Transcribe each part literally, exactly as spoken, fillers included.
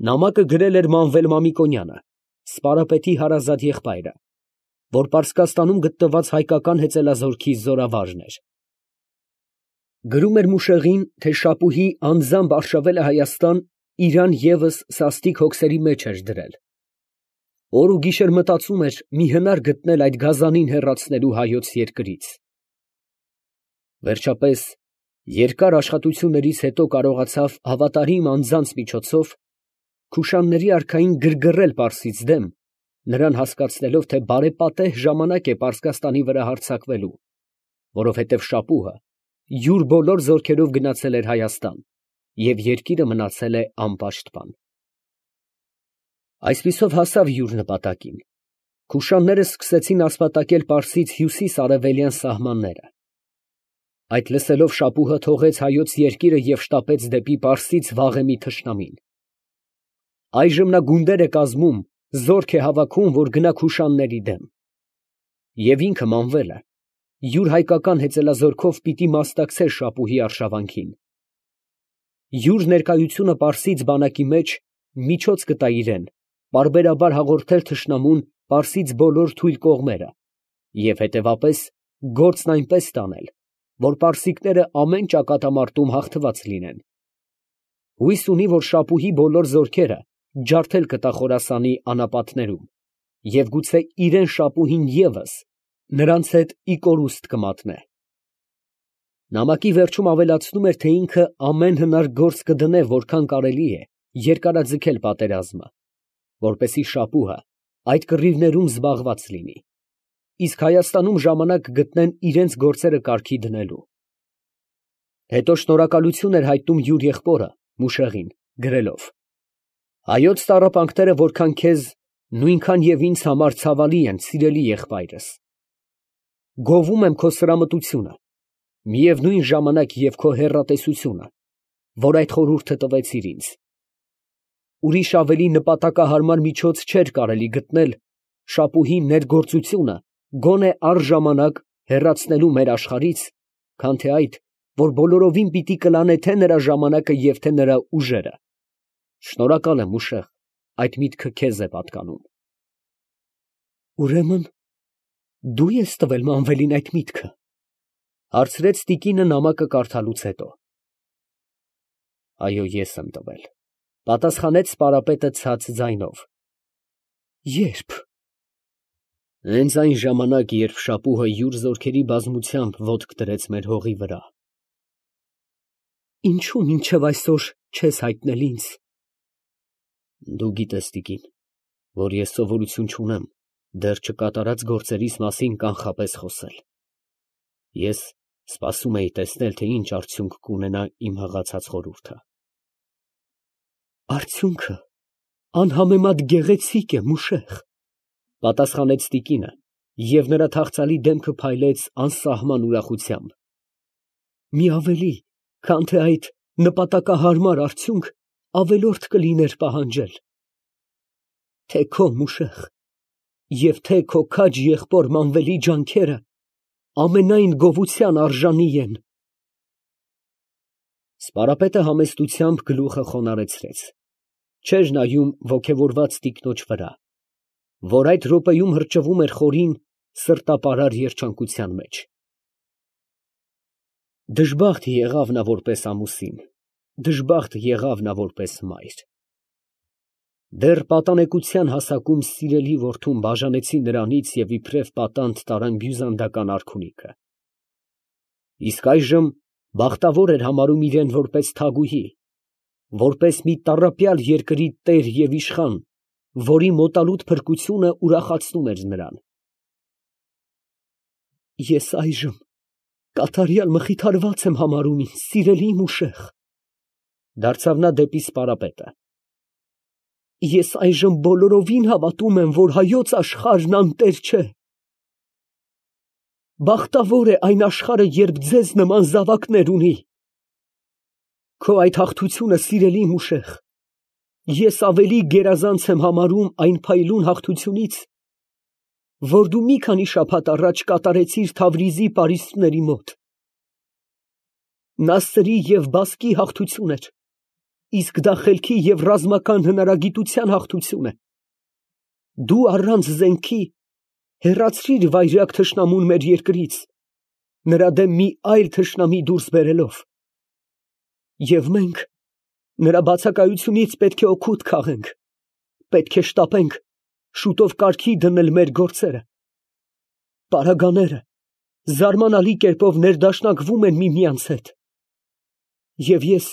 Նամակը գրել էր Մանվել Մամիկոնյանը, սպարապետի հարազատ եղբայրը, որ Պարսկաստանում գտնված հայկական հեծելազորքի զորավարն էր. գրում էր Մուշեղին, թե Շապուհի անձամբ արշավել է Հայաստան, իրան ևս սաստիկ հոգսերի մեջ էր դրել. օր ու գիշեր մտածում էր մի հնար գտնել այդ գազանին հեռացնելու հայոց երկրից. վերջապես, երկար աշխատություններից հետո կարողացավ հավատարիմ անձանց միջոցով Քուշանների արքային գրգռել Պարսից դեմ, նրան հասկացնելով, թե բարեպատեհ ժամանակ է Պարսկաստանի վրա հարձակվելու, որովհետև Շապուհը յուր բոլոր զորքերով գնացել էր Հայաստան, և երկիրը մնացել է անպաշտպան։ Այսպիսով հասավ յուր նպատակին. Քուշանները սկսեցին ասպատակել Պարսից հյուսիս֊արևելյան սահմանները։ Այդ լսելով Շապուհը թողեց հայոց երկիրը և շտապեց դեպի Պարսից վաղեմի թշնամին։ Այժմ նա գունդեր է կազմում, զորք է հավաքում, որ գնա Քուշանների դեմ։ Եվ ինքը Մանվելը յուր հայկական հեծելազորքով պիտի մասնակցեր Շապուհի արշավանքին։ Յուր ներկայությունը Պարսից բանակի մեջ միջոց կտա իրեն պարբերաբար հաղորդել թշնամուն Պարսից բոլոր թույլ կողմերը և հետևապես գործն այնպես տանել, որ պարսիկները ամեն ճակատամարտում հաղթված լինեն։ Հույս ունի, որ Շապուհի բոլոր զորքերը ջարդել կտա Խորասանի անապատներում և գուցե իրեն Շապուհին ևս նրանց հետ ի կորուստ կմատնե։ Նամակի վերջում ավելացնում էր, թե ինքը ամեն հնար գործ կդնե, որքան կարելի է երկարաձգել պատերազմը, որպեսզի Շապուհը այդ կռիվներում զբաղված լինի, իսկ Հայաստանում ժամանակ գտնեն իրենց գործերը կարգի դնելու։ Հետո շնորհակալություն էր հայտնում յուր եղբորը Մուշեղին, գրելով. «Հայոց տառապանքները որքան քեզ, նույնքան և ինձ համար ցավալի են, սիրելի եղբայրս։ Գովում եմ քո սրամտությունը, միևնույն ժամանակ և քո հեռատեսությունը, որ այդ խորհուրդը տվեցիր ինձ։ Ուրիշ ավելի նպատակահարմար միջոց չէր կարելի գտնել Շապուհի ներգործությունը գոնե առժամանակ հեռացնելու մեր աշխարհից, քան թե այդ, որ բոլորովին պիտի կլանե թե նրա ժամանակը և թե նրա ուժերը։ Շնորհակալ եմ, Մուշեղ, այդ միտքը քեզ է պատկանում»։ «Ուրեմն դու ես տվել Մանվելին այդ միտքը, ֊ հարցրեց տիկինը նամակը կարդալուց հետո։ ֊ Այո, ես եմ տվել, ֊ պատասխանեց սպարապետը ցած ձայնով։ ֊ Ե՞րբ։ ֊ Հենց այն ժամանակ, երբ Շապուհը յուր զորքերի բազմությամբ ոտք դրեց մեր հողի վրա։ ֊ Ինչո՞ւ մինչև այսօր չես հայտնել ինձ։ ֊ Դու գիտես, տիկին, որ ես սովորություն չունեմ դեռ չկատարած գործերիս մասին կանխապես խոսել։ Ես սպասում էի տեսնել, թե ինչ արդյունք կունենա իմ հղացած խորհուրդը։ ֊ Արդյունքը անհամեմատ գեղեցիկ է, Մուշեղ, ֊ պատասխանեց տիկինը, և նրա թախծալի դեմքը փայլեց անսահման ուրախությամբ։ ֊ Մի ավելի, քան թե այդ նպատակահարմար արդյունք ավելորդ կլիներ պահանջել։ Թե քո, Մուշեղ, և թե քո քաջ եղբոր Մանվելի ջանքերը ամենայն գովության արժանի են։ Սպարապետը համեստությամբ գլուխը խոնարհեցրեց, չէր նայում ոգևորված տիկնոջ վրա, որ այդ րոպեում հրճվում էր խորին, սրտապարար երջանկության մեջ։ Դժբախտ եղավ նա որպես ամուսին, դժբախտ եղավ նա որպես մայր։ Դեռ պատանեկության հասակում սիրելի որդուն բաժանեցին նրանից և իբրև պատանդ տարան բյուզանդական արքունիքը։ Իսկ այժմ բախտավոր էր համարում իրեն որպես թագուհի, որպես մի տառապյալ երկրի տեր և իշխան, որի մոտալուտ փրկությունը ուրախացնում էր նրան։ Ես այժմ կատարյալ մխիթարված եմ համարում ինձ, սիրելի Մուշեղ, ֊ դարձավ նա դեպի սպարապետը։ Ես այժմ բոլորովին հավատում եմ, որ հայոց աշխարհն անտեր չէ։ Բախտավոր է այն աշխարհը, երբ ձեզ նման զավակներ ունի։ Քո այդ հաղթությունը, սիրելի Մուշեղ, ես ավելի գերազանց եմ համարում այն փայլուն հաղթությունից, որ դու մի քանի շաբաթ առաջ կատարեցիր Թավրիզի պարիսպների մոտ։ Նա սրի և բասկի հաղթություն էր, իսկ դա խելքի և ռազմական հնարագիտության հաղթություն է։ Դու առանց զենքի հեռացրիր վայրագ թշնամուն մեր երկրից, նրա դեմ մի այլ թշնամի դուրս բերելով, և մենք նրա բացակայությունից պետք է օգուտ քաղենք, պետք է շտապենք շուտով կարգի դնել մեր գործերը։ Պարագաները զարմանալի կերպով ներդաշնակվում են միմյանց հետ, և ես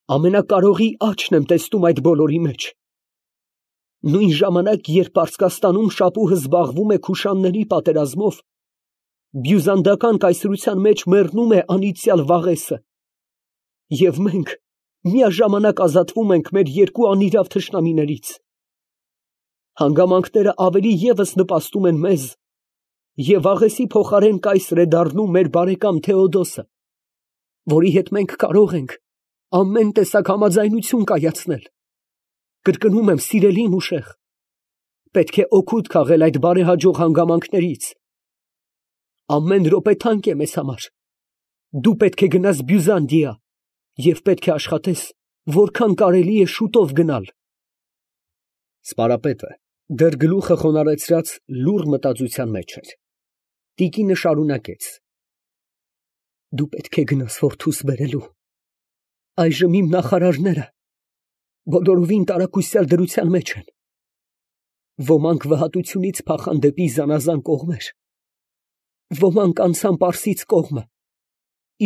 ամենակարողի աչքն եմ տեսնում այդ բոլորի մեջ։ Նույն ժամանակ, երբ Պարսկաստանում շապուհը զբաղվում է Քուշանների պատերազմով, բյուզանդական կայսրության մեջ մեռնում է անիծյալ Վաղեսը, և մենք միաժամանակ ազատվում ենք մեր երկու անիրավ թշնամիներից։ Հանգամանքները ավելի ևս նպաստում են մեզ, և Վաղեսի փոխարեն կայսր է դառնում մեր բարեկամ Թեոդոսը, որի հետ մենք կարող ենք ամեն տեսակ համաձայնություն կայացնել։ Կրկնում եմ, սիրելի Մուշեղ, պետք է օգուտ քաղել այդ բարեհաջող հանգամանքներից։ Ամեն րոպե թանկ է մեզ համար։ Դու պետք է գնաս Բյուզանդիա և պետք է աշխատես որքան կարելի է շուտով գնալ։ Սպարապետը դեռ գլուխը խոնարհեցրած լուռ մտածության մեջ էր։ Տիկինը շարունակեց. Դու պետք է գնաս որդուս բերելու։ Այժմ իմ նախարարները բոլորովին տարակուսյալ դրության մեջ են։ Ոմանք վհատությունից փախան դեպի զանազան կողմեր, ոմանք անցան Պարսից կողմը,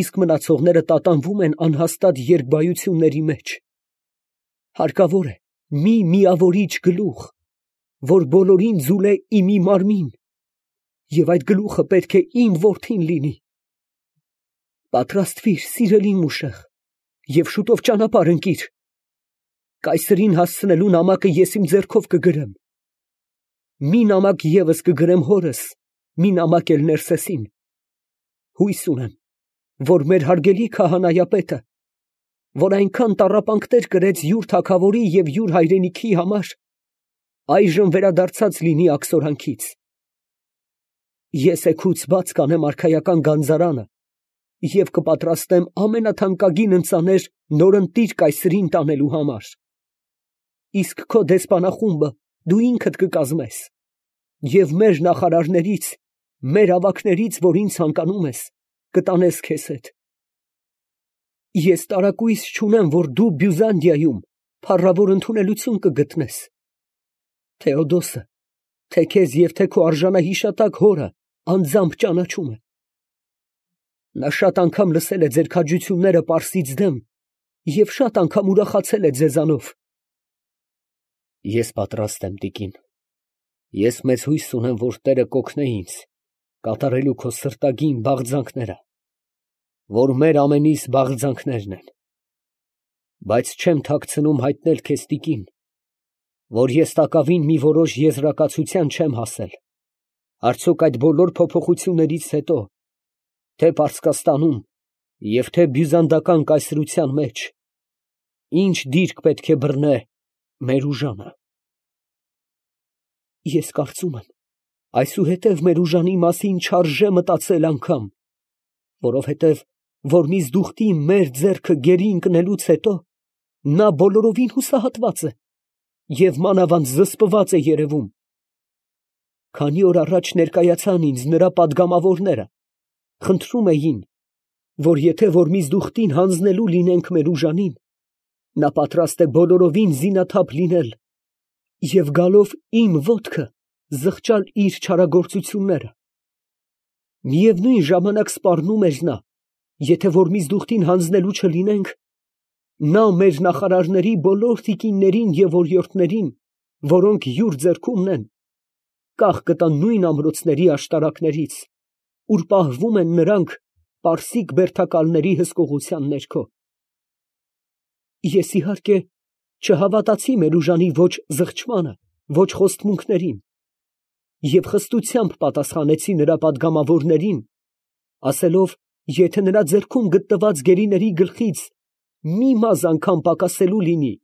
իսկ մնացողները տատանվում են անհաստատ երկբայությունների մեջ։ Հարկավոր է մի միավորիչ գլուխ, որ բոլորին ձուլե ի մի մարմին, և այդ գլուխը պետք է իմ որդին լինի։ Պատրաստվիր, սիրելի Մուշեղ, և շուտով ճանապարհ ընկիր։ Կայսրին հասցնելու նամակը ես իմ ձեռքով կգրեմ։ Մի նամակ ևս կգրեմ հորս, մի նամակ էլ Ներսեսին։ Հույս ունեմ, որ մեր հարգելի քահանայապետը, որ այնքան տառապանքներ կրեց յուր թագավորի և յուր հայրենիքի համար, այժմ վերադարձած լինի աքսորանքից։ Ես էգուց բաց կանեմ արքայական գանձարանը և կպատրաստեմ ամենաթանկագին ընծաներ նորընտիր կայսրին տանելու համար։ Իսկ քո դեսպանախումբը դու ինքդ կկազմես, և մեր նախարարներից, մեր ավագներից, որին ցանկանում ես, կտանես քեզ հետ։ Ես տարակույս չունեմ, որ դու Բյուզանդիայում փառավոր ընդունելություն կգտնես։ Թեոդոսը թե քեզ և թե քո արժանահիշատակ հորը անձամբ ճանաչում է։ Նա շատ անգամ լսել է ձեր քաջությունները Պարսից դեմ և շատ անգամ ուրախացել է ձեզանով։ Ես պատրաստ եմ, տիկին։ Ես մեծ հույս ունեմ, որ Տերը կօգնե ինձ կատարելու քո սրտագին բաղձանքները, որ մեր ամենիս բաղձանքներն են։ Բայց չեմ թաքցնում հայտնել քեզ, տիկին, որ ես տակավին մի որոշ եզրակացության չեմ հասել, արդյոք այդ բոլոր փոփոխություններից հետո, թե Պարսկաստանում և թե բյուզանդական կայսրության մեջ, ինչ դիրք պետք է բռնե մեր ուժանը։ Ես կարծում եմ, այսուհետև մեր ուժանի մասին չարժե մտածել անգամ, որովհետև որ մի զդուխտի մեր ձեռքը գերի ընկնելուց հետո նա բոլորովին հուսահատված է և մանավանդ զսպված է երևում։ Քանի օր առաջ ներկայացան ինձ նրա պատգամավորները, խնդրում էին, որ եթե որ մի զդուխտին հանձնելու լինենք մեր ուժանին, նա պատրաստ է բոլորովին զինաթափ լինել և գալով իմ ոտքը զղջալ իր չարագործությունները։ Միևնույն ժամանակ սպառնում էր նա, եթե որ մի զդուխտին հանձնելու չլինենք, նա մեր նախարարների բոլոր տիկիններին և օրիորդներին, որոնք յուր ձեռքումն են, կախ կտան նույն ամրոցների աշտարակներից, ուր պահվում են նրանք պարսիկ բերդակալների հսկողության ներքո։ Ես իհարկե չհավատացի մեր ուժանի ոչ զղջմանը, ոչ խոստմունքներին և խստությամբ պատասխանեցի նրա պատգամավորներին, ասելով, եթե նրա ձեռքում գտնված գերիների գլխից մի մազ անգամ պակասելու լինի,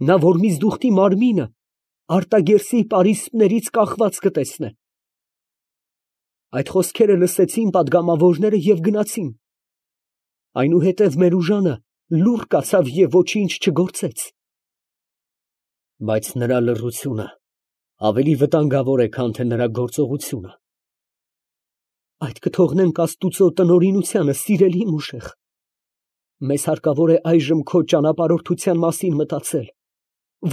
նա որ մի զդուխտի մարմինը արտագերսի պարիսպներից կախված կտեսնե։ Այդ խոսքերը լսեցին պատգամավորները և գնացին։ Այնուհետև մեր ուժանը լուռ կացավ և ոչինչ չգործեց։ Բայց նրա լռությունը ավելի վտանգավոր է, քան թե նրա գործողությունը։ Այդ կթողնենք Աստուծո տնօրինությանը, սիրելի մուշեղ։ Մեզ հարկավոր է այժմ քո ճանապարհորդության մասին մտածել,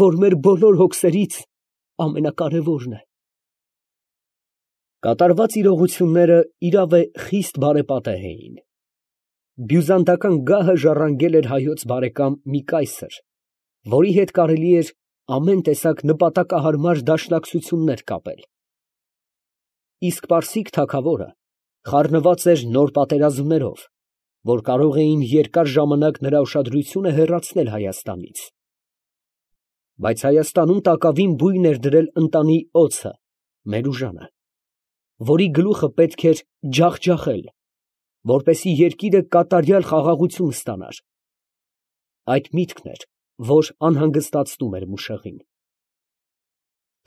որ մեր բոլոր հոգսերից ամենակարևորն է։ Կատարված իրողությունները իրավ է խիստ բարեպատեհ էին։ Բյուզանդական գահը ժառանգել էր հայոց բարեկամ մի կայսր, որի հետ կարելի էր ամեն տեսակ նպատակահարմար դաշնակցություններ կապել։ Իսկ պարսիկ թագավորը խառնված էր նոր պատերազմներով, որ կարող էին երկար ժամանակ նրա ուշադրությունը հեռացնել Հայաստանից։ Բայց Հայաստանում տակավին բույն էր դրել ընտանի օձը, Մերուժանը, որի գլուխը պետք էր ջախջախել, որպեսզի երկիրը կատարյալ խաղաղություն ստանար։ Այդ միտքն էր, որ անհանգստացնում էր մուշեղին։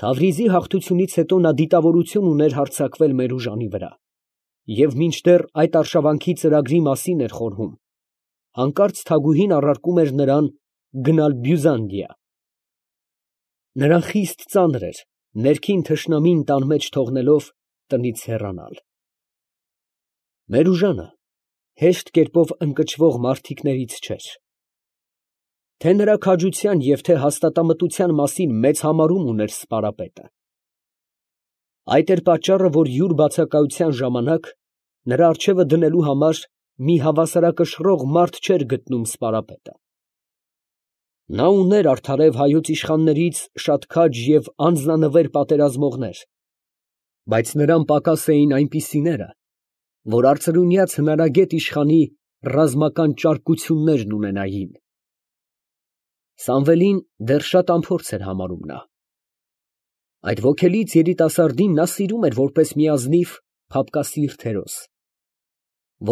Թավրիզի հաղթությունից հետո նա դիտավորություն ուներ հարձակվել Մերուժանի վրա, և մինչդեռ այդ արշավանքի ծրագրի մասին էր խորհում, հանկարծ թագուհին առարկում էր նրան գնալ Բյուզանդիա։ Նրան խիստ ծանր էր ներքին թշնամին տան մեջ թողնելով տնից հեռանալ։ Մերուժանը հեշտ կերպով ընկճվող մարդիկներից չէր։ Թե նրա քաջության և թե հաստատամտության մասին մեծ համարում ուներ սպարապետը։ Այդ էր պատճառը, որ յուր բացակայության ժամանակ նրա առջևը դնելու համար մի հավասարակշռող մարդ չէր գտնում սպարապետը։ Նա ուներ արդարև հայոց իշխաններից շատ քաջ և անձնանվեր պատերազմողներ, բայց նրան պակաս էին այնպիսիները, որ արծրունյաց հնարագետ իշխանի ռազմական ճարպկություններն ունենային։ Սամվելին դեռ շատ անփորձ էր համարում նա։ Այդ ոգելից երիտասարդին նա սիրում էր որպես մի ազնիվ, փափկասիրտ հերոս,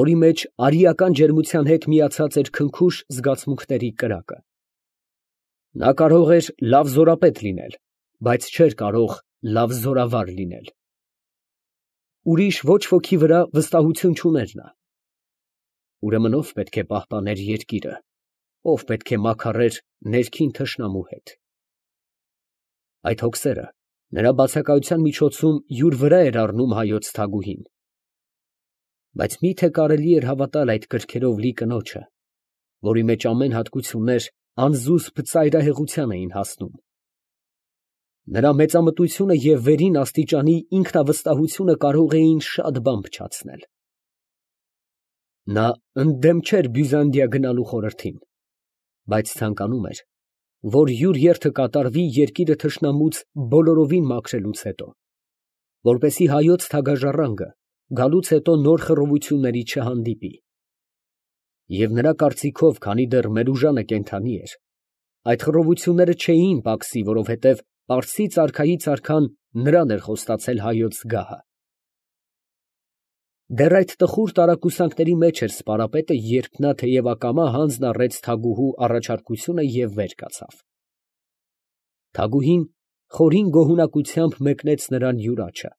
որի մեջ արիական ջերմության հետ միացած էր քնքուշ զգացմունքների կրակը։ Նա կարող էր լավ զորապետ լինել, բայց չէր կարող լավ զորավար լինել։ Ուրիշ ոչ ոքի վրա վստահություն չուներ նա։ Ուրեմն ով պետք է պահպաներ երկիրը, ով պետք է մաքարեր ներքին թշնամու հետ։ Այդ հոգսերը նրա բացակայության միջոցում յուր վրա էր առնում հայոց թագուհին։ Բայց մի՞թե կարելի էր հավատալ այդ կրքերով լի կնոջը, որի մեջ ամեն հատկություններ անզուսպ ծայրահեղության էին հասնում։ Նրա մեծամտությունը և վերին աստիճանի ինքնավստահությունը կարող էին շատ բան փչացնել։ Նա ընդդեմ չէր Բյուզանդիա գնալու խորհրդին, բայց ցանկանում էր, որ յուր երթը կատարվի երկիրը թշնամուց բոլորովին մաքրելուց հետո, որպեսզի հայոց թագաժառանգը գալուց հետո նոր խռովությունների չհանդիպի։ Եվ նրա կարծիքով, քանի դեռ Մերուժանը կենդանի էր, այդ խռովությունները չէին պակսի, որովհետև պարսից արքայից արքան նրան էր խոստացել հայոց գահը։ Դեռ այդ տխուր տարակուսանքների մեջ էր սպարապետը, երբ նա թեև ակամա հանձն առեց թագուհու առաջարկությունը և վեր կացավ։ Թագուհին խորին գոհունակությամբ մեկնեց նրան յուր աջը,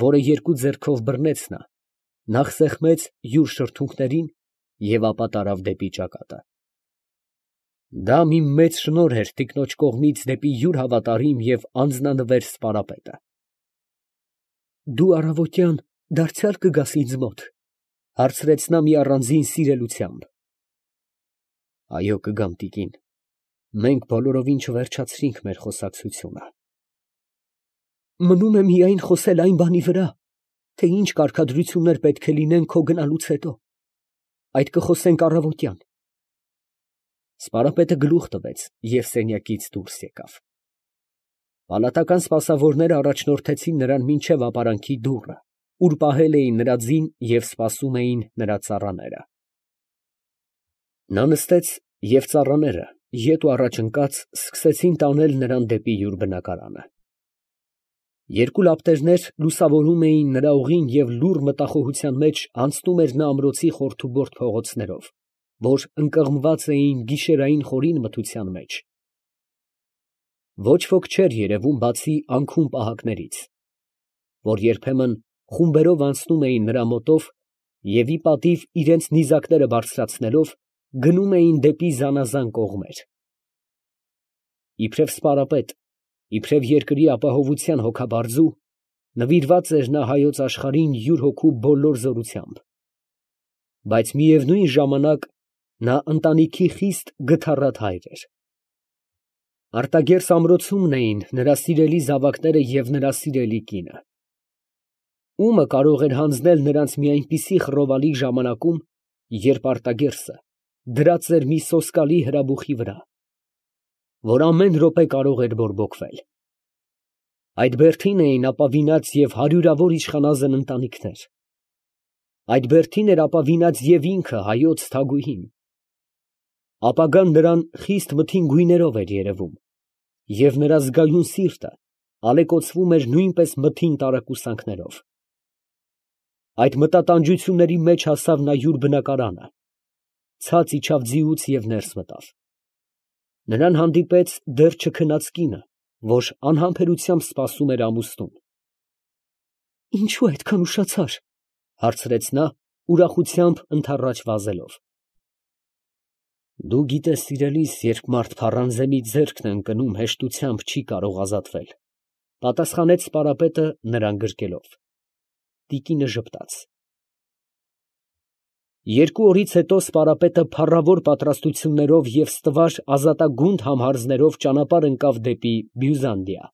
որը երկու ձեռքով բռնեց նա, նախ սեղմեց յուր շրթունքներին և ապա տարավ դեպի ճակատը։ Դա մի մեծ շնորհ էր տիկնոջ կողմից դեպի յուր հավատարիմ և անձնանվեր սպարապետը։ ֊ Դու առավոտյան դարձյալ կգաս ինձ մոտ, ֊ հարցրեց նա մի առանձին սիրելությամբ։ ֊ Այո, կգամ, տիկին, մենք բոլորովին չվերջացրինք մեր խոսակցությունը։ ֊ Մնում է միայն խոսել այն բանի վրա, թե ինչ կարգադրություններ պետք է լինեն քո գնալուց հետո. այդ կխոսենք առավոտյան։ Սպարապետը գլուխ տվեց և սենյակից դուրս եկավ։ Պալատական սպասավորները առաջնորդեցին նրան մինչև ապարանքի դուռը, ուր պահել էին նրա ձին և սպասում էին նրա ծառաները։ Նա նստեց, և ծառաները, ետ ու առաջ ընկած, սկսեցին տանել նրան դեպի յուր բնակարանը։ Երկու լապտերներ լուսավորում էին նրա ուղին և լուռ մտախոհության մեջ անցնում էր նա ամրոցի խորթուբորդ փողոցներով, որ ընկղմված էին գիշերային խորին մթության մեջ։ Ոչ ոք չէր երևում, բացի անքուն պահակներից, որ երբեմն խումբերով անցնում էին նրա մոտով և ի պատիվ իրենց նիզակները բարձրացնելով գնում էին դեպի զանազան կողմեր։ Իբրև սպարապետ, իբրև երկրի ապահովության հոգաբարձու, նվիրված էր նա հայոց աշխարհին յուր հոգու բոլոր զորությամբ, բայց միևնույն ժամանակ նա ընտանիքի խիստ գթառատ հայր էր։ Արտագերս ամրոցումն էին նրա սիրելի զավակները և նրա սիրելի կինը։ Ումը կարող էր հանձնել նրանց մի այնպիսի խռովալի ժամանակում, երբ արտագերսը դրած էր մի սոսկալի հրաբուխի վրա, որ ամեն րոպե կարող էր բորբոքվել։ Այդ բերդին էին ապավինած և հարյուրավոր իշխանազն ընտանիքներ. այդ բերդին էր ապավինած և ինքը հայոց թագուհին։ Ապագան նրան խիստ մթին գույներով էր երևում, և նրա զգայուն սիրտը ալեկոծվում էր նույնպես մթին տարակուսանքներով։ Այդ մտատանջությունների մեջ հասավ նա յուր բնակարանը, ցած իջավ ձիուց և ներս մտավ։ Նրան հանդիպեց դեռ չքնած կինը, որ անհամբերությամբ սպասում էր ամուսնուն։ ֊ Ինչո՞ւ այդքան ուշացար, ֊ հարցրեց նա, ուրախությամբ ընդառաջ վազելով։ ֊ Դու գիտես, սիրելիս, երբ մարդ փառանձե մի ձեռքն է ընկնում, հեշտությամբ չի կարող ազատվել, ֊ պատասխանեց սպարապետը նրան գրկելով։ Տիկինը ժպտաց։ Երկու օրից հետո սպարապետը փառավոր պատրաստություններով և ստվար ազատագունդ համարզներով ճանապարհ ընկավ դեպի Բյուզանդիա։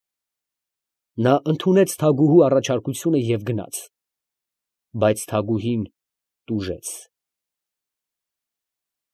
Նա ընդունեց թագուհու առաջարկությունը և գնաց, բայց թագուհին տուժեց։